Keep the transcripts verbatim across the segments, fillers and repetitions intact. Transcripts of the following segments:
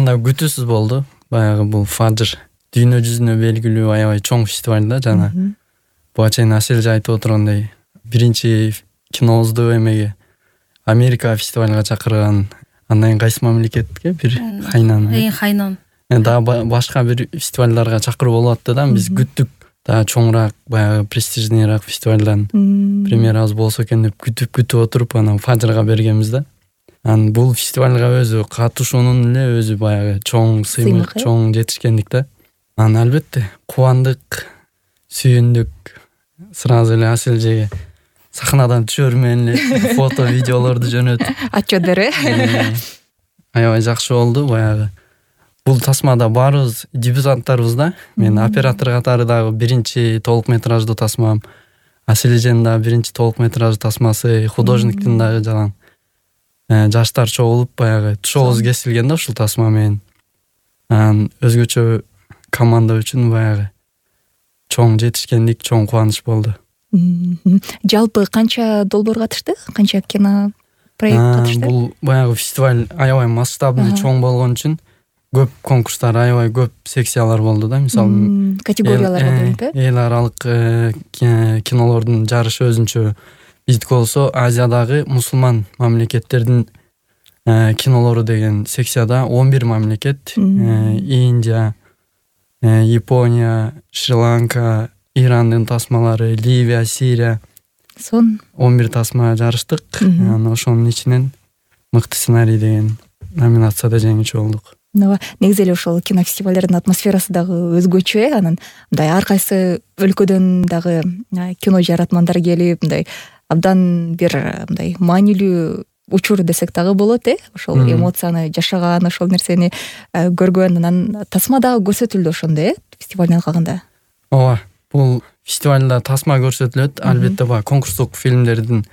анда күтүүсүз болду. Баягы бул Фажр дүйнө жүзүнө белгилүү аябай чоң фестиваль да жана буга чейин Аселже айтып отургандай биринчи кинобузду эмеге Америка фестивалга чакырган. Андан кийин кайсы мамлекетке бир Хайнан. Э, Хайнан. Дагы башка бир фестивалдарга чакырып болуп атты да. Биз күттүк да чоңураак, баягы престижнийраак фестивалдан премьерабыз болсо экен деп күтүп күтүп отуруп анан Фажрга бергенбиз да. Анан бул фестивалга өзү катышуунун эле өзү баягы чоң сыймык, чоң жетишкендик да. Анан албетте кубандык, сүйүндүк. Сразу эле Аселжеге сахнадан түшөр менен эле фото, видеолорду жөнөтүп атчоодор э. Аябай жакшы болду баягы. Бул тасмада баарыбыз дебютанттарбыз да. Мен оператор катары дагы биринчи толук метраждуу тасмам. Аселженин дагы биринчи толук метраждуу тасмасы, художниктин дагы жалаң жаштар чогулуп баягы тушообуз кесилген да ушул тасма менен. Анан өзгөчө команда үчүн баягы чоң жетишкендик, чоң кубаныч болду. Жалпы канча долбоор катышты? Канча кино проект катышты? Бул баягы фестиваль аябай масштабный, чоң болгон үчүн көп конкурстар, аябай көп секциялар болду да. Мисалы, категорияларга бөлүнүп э? Эл аралык кинолордун жарышы өзүнчө. Биздики болсо Азиядагы мусулман мамлекеттердин кинолору деген секцияда он бир мамлекет, Индия, Япония, Шри-Ланка, Ирандын тасмалары, Ливия, Сирия. Сон он бир тасма жарыштык. Анан ошонун ичинен мыкты сценарий деген номинацияда жеңүүчү болдук. Негизи эле ошол кино фестивалдердин атмосферасы дагы өзгөчө э. Анан мындай ар кайсы өлкөдөн дагы кино жаратмандар келип, мындай абдан бир мындай маанилүү учур десек дагы болот э. Ошол эмоцияны жашаган, ошол нерсени көргөн, анан тасма дагы көрсөтүлдү ошондой э, фестивалдан калганда. Ооба, бул фестивалда тасма көрсөтүлөт. Албетте баягы конкурстук фильмдердин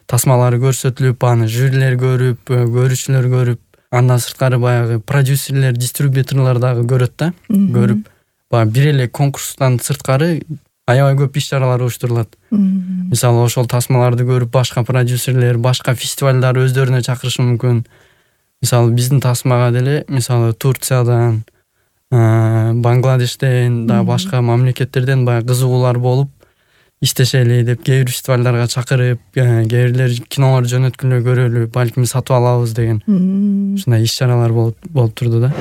тасмалары көрсөтүлүп, аны жюрилер көрүп, көрүүчүлөр көрүп, андан сырткары баягы продюсерлер, дистрибьюторлор дагы көрөт да. Көрүп, баягы бир эле конкурстан сырткары аябай көп иш-чаралар уюштурулат. Мисалы, ошол тасмаларды көрүп башка продюсерлер, башка фестивалдар өздөрүнө чакырышы мүмкүн. Мисалы, биздин тасмага деле, мисалы, Турциядан, Бангладештен да башка мамлекеттерден баягы кызыгуулар болуп, иштешели деп кээ бир фестивалдарга чакырып, кээ бирлер кинолор жөнөткүлө көрөлү, балким сатып алабыз деген ушундай иш-чаралар болуп болуп турду да.